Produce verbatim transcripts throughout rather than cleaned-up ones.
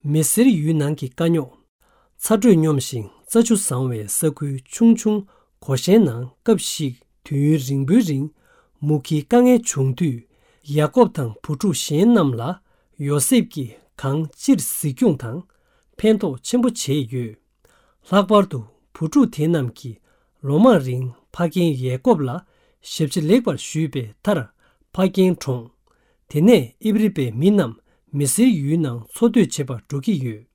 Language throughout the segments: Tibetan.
མི་སེར་ཡུལ་ནང་གི་དཀའ་རྙོག་ཚ་དྲོད་སྙོམས་ཤིང་རྩྭ་ཆུ་བཟང་བའི་ས་ཁུལ་ཆུང་ཆུང་གོ་ཤའི་ནང་སྐབས་ཤིག་དུས་ཡུན་རིང་པོའི་རིང་མུ་གེའི་དཀའ་ངལ་བྱུང་དུས། ཡ་ཀོབ་དང་བུ་ཕྲུག་གཞན་རྣམས་ལ་ཡོ་སེབ་ཀྱིས་གང་ཅིར་གཟིགས་སྐྱོང་དང་ཕན་ཐོགས་ཆེན་པོ་བྱས་ཡོད། ལྷག་པར་དུ་བུ་ཕྲུག་དེ་རྣམས་ཀྱིས་ལོ་མང་རིང་ཕ་རྒན་ཡ་ཀོབ་ལ་ཞབས་ཕྱི་ལེགས་པར་ཞུས་པའི་མཐར་ཕ་རྒན་གྲོངས། དེ་ནས་ཨིབ་རི་པའི་མི་རྣམས་མི་སེར་ཡུལ་ནང་འཚོ་སྡོད་བྱེད་པར་འགྲོ་གི་ཡོད།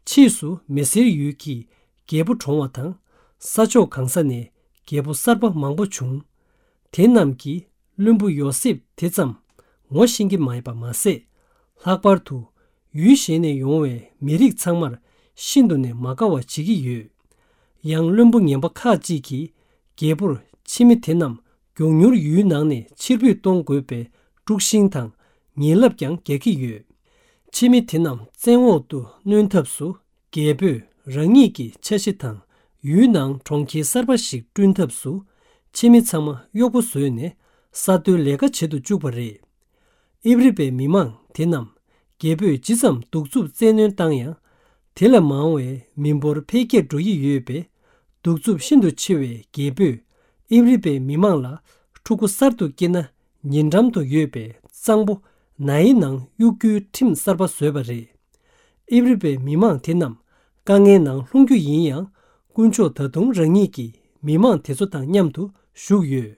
ཕྱིས་སུ་མི་སེར་ཡུལ་གྱི་རྒྱལ་པོ་གྲོངས་པ་དང་། ས་ཕྱོགས་གང་ས་ནས་རྒྱལ་པོ་གསར་པ་མང་པོ་བྱུང་། དེ་རྣམས་ཀྱིས་བློན་པོ་ཡོ་སེབ་དེ་ཙམ་ངོ་ཤེས་ཀྱི་མེད་པ་མ་ཟད། ལྷག་པར་དུ་ཡུལ་གཞན་ནས་ཡོང་བའི་མི་རིགས་ཚང་མར་ཤིན་ཏུ་ནས་མ་དགའ་བ་བྱེད་ཀྱི་ཡོད། ཡང་བློན་པོ་ངན་པ་ཁག་ཅིག་གིས་རྒྱལ་པོར་ཕྱི་མི་དེ་རྣམས་མགྱོགས་མྱུར་ཡུལ་ནང་ནས་ཕྱིར་འབུད་གཏོང་དགོས་པའི་དཀྲུག་ཤིང་དང་ཉེས་ལབ་ཀྱང་རྒྱག་གི་ཡོད། ཕྱི་མི་དེ་རྣམས་བཙན་འོག་ཏུ་གནོན་ཐབས་སུ་རྒྱལ་པོས་རང་ཉིད་ཀྱི་ཆ་ཤས་དང་ཡུལ་ནང་གྲོང་ཁྱེར་གསར་པ་ཞིག་བསྐྲུན་ཐབས་སུ་ཕྱི་མི་ཚང་མ་གཡོག་པོ་བཟོས་ནས་ས་རྡོའི་ལས་ཀ་བྱེད་དུ་བཅུག་པ་རེད། ཨིབ་རི་པའི་མི་མང་དེ་རྣམས་རྒྱལ་པོས་ཇི་ཙམ་གདུག་རྩུབ་བཙན་གནོན་བཏང་ཡང་། དེ་ལས་མང་བའི་མི་འབོར་འཕེལ་རྒྱས་འགྲོ་ཡི་ཡོད་པས། གདུག་རྩུབ་ཤིན་ཏུ་ཆེ་བའི་རྒྱལ་པོས་ཨིབ་རི་པའི་མི་མང་ལ་ཕྲུ་གུ་གསར་དུ་སྐྱེས་ན་ཉེ་འགྲམ་དུ་ཡོད་པའི་གཙང་པོ་ནཱའི་ནང་གཡུག་རྒྱུའི་ཁྲིམས་གསར་པ་བཟོས་པ་རེད། ཨིབ་རི་པའི་མི་མང་དེ་རྣམས་དཀའ་ངལ་ནང་ལྷུང་རྒྱུ་ཡིན་ཡང་། དཀོན་མཆོག་ད་དུང་རང་ཉིད་ཀྱི་མི་མང་དེ་ཚོ་དང་མཉམ་དུ་བཞུགས་ཡོད།